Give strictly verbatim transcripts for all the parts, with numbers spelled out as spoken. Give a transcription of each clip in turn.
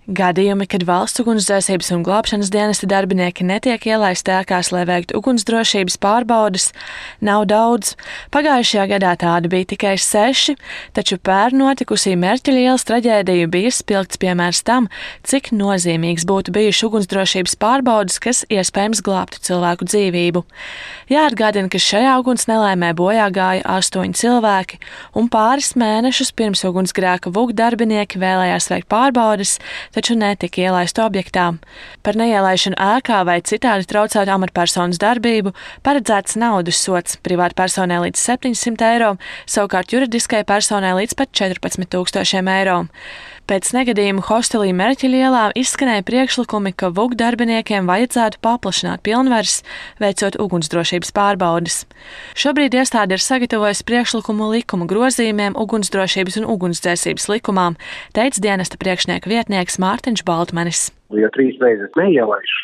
Gadījumi, kad valsts ugunsdzēsības un glābšanas dienesta darbinieki netiek ielaisti ēkās, lai veiktu ugunsdrošības pārbaudes, nav daudz. Pagājušajā gadā tādi bija tikai seši, taču pērn notikusī Mērķeļa ielas traģēdija bija spilgts piemērs tam, cik nozīmīgs būtu bijuši ugunsdrošības pārbaudes, kas iespējams glābtu cilvēku dzīvību. Jāatgādina, ka šajā uguns nelaimē bojā gāja astoņi cilvēki, un pāris mēnešus pirms ugunsgrēka VUK darbinieki vēlējās veikt pārbaudes, taču netika ielaistu objektā. Par neielaišanu ēkā vai citādi traucētu amatpersonas darbību paredzēts naudas sods privātpersonai līdz septiņsimt eiro, savukārt juridiskai personai līdz pat četrpadsmit tūkstošiem eiro. Pēc negadījuma hostelī Mērķeļa ielā izskanēja priekšlikumi, ka VUK darbiniekiem vajadzētu paplašināt pilnvaras, veicot ugunsdrošības pārbaudes. Šobrīd iestāde ir sagatavojusi priekšlikumu likuma grozījumiem ugunsdrošības un ugunsdzēsības likumām, teica dienesta priekšnieka vietnieks Mārtiņš Baltmanis. Ja trīs reizes neielaiž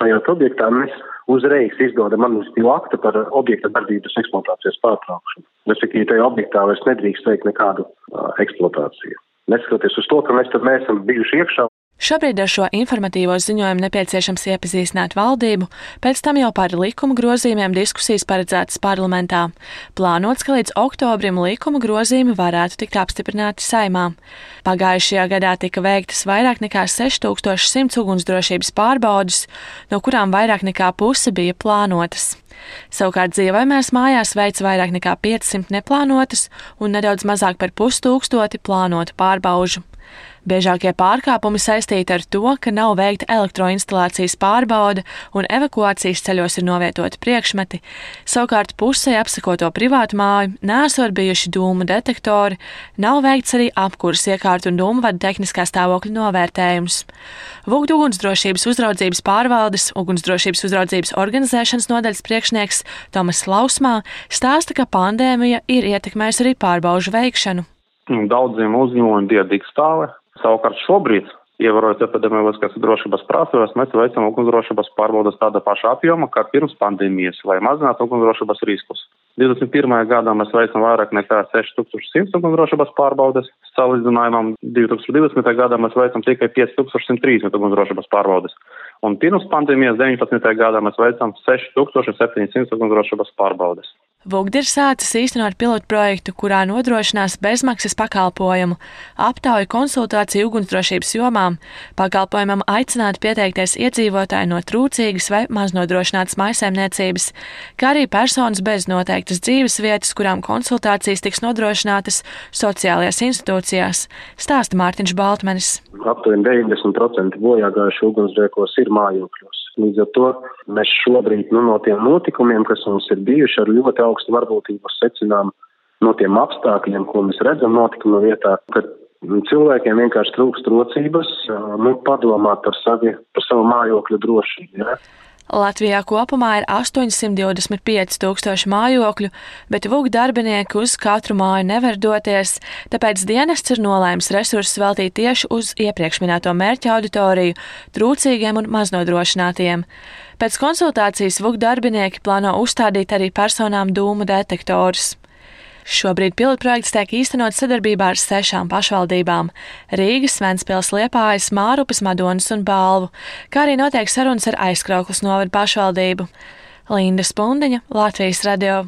šajā objektā, mēs uzreiz izdodam administratīvu aktu par objekta darbības eksploatācijas pārtraukšanu. Respektīvi, tajā objektā vairs nedrīkst veikt nekādu uh, eksploatāciju. Neskatoties uz to, ka mēs tad neesam bijuši iekšā. Šobrīd ar šo informatīvo ziņojumu nepieciešams iepazīstināt valdību, pēc tam jau par likuma grozījumiem diskusijas paredzētas parlamentā. Plānots, ka līdz oktobrim likuma grozījumi varētu tikt apstiprināti Saeimā. Pagājušajā gadā tika veiktas vairāk nekā seši tūkstoši simts ugunsdrošības pārbaudes, no kurām vairāk nekā puse bija plānotas. Savukārt dzīvojamās mājās veic vairāk nekā piecsimt neplānotas un nedaudz mazāk par pustūkstoti plānotu pārbaužu. Biežākie pārkāpumi saistīti ar to, ka nav veikta elektroinstalācijas pārbaude un evakuācijas ceļos ir novietoti priekšmeti. Savukārt pusē apsekoto privātu māju nesot bijuši dūmu detektori, nav veikts arī apkuras iekārtu un dūmvadu tehniskā stāvokļa novērtējums. VUK ugunsdrošības uzraudzības pārvaldes, ugunsdrošības uzraudzības organizēšanas nodaļas priekšnieks Tomas Lausmā stāsta, ka pandēmija ir ietekmējusi arī pārbaužu veikšanu. Daudziem uzņēmumiem bija digstāve. Savukārt šobrīd, ievērojot epidemioloģiskās drošības prasības, mēs veicam ugunsdrošības pārbaudes tāda paša apjoma, kā pirms pandēmijas, lai mazinātu ugunsdrošības riskus. divdesmit pirmajā gadā mēs veicam vairāk nekā seši tūkstoši simts ugunsdrošības pārbaudes. Salīdzinājumam divi tūkstoši divdesmitajā gadā mēs veicam tikai pieci tūkstoši simt trīsdesmit ugunsdrošības pārbaudes. Un pirms pandēmijas deviņpadsmitajā gadā mēs veicam seši tūkstoši septiņsimt ugunsdrošības pārbaudes. VUK ir sācis īstenot pilotu projektu, kurā nodrošinās bezmaksas pakalpojumu, aptauju konsultāciju ugunsdrošības jomām. Pakalpojumam aicināti pieteikties iedzīvotāji no trūcīgas vai maznodrošinātas mājsaimniecības, kā arī personas bez noteiktas dzīves vietas, kurām konsultācijas tiks nodrošinātas sociālajās institūcijās, stāsta Mārtiņš Baltmanis. Aptuveni deviņdesmit procenti bojāgājuši ugunsgrēkos ir mājokļos. Līdz ar to mēs šobrīd nu, no tiem notikumiem, kas mums ir bijuši ar ļoti augstu varbūtību, secinām no tiem apstākļiem, ko mēs redzam notikuma vietā, ka cilvēkiem vienkārši trūkst rocības, nu, padomāt par, savi, par savu mājokļu drošību. Ja? Latvijā kopumā ir astoņsimt divdesmit pieci tūkstoši mājokļu, bet VUK darbinieki uz katru māju nevar doties, tāpēc dienests ir nolēmis resursus veltīt tieši uz iepriekš minēto mērķa auditoriju, trūcīgiem un maznodrošinātiem. Pēc konsultācijas VUK darbinieki plāno uzstādīt arī personām dūmu detektorus. Šobrīd pilotprojekts tiek īstenots sadarbībā ar sešām pašvaldībām – Rīgas, Ventspils, Liepājas, Mārupas, Madonas un Balvu, kā arī notiek sarunas ar Aizkraukles novada pašvaldību. Linda Spundiņa, Latvijas radio.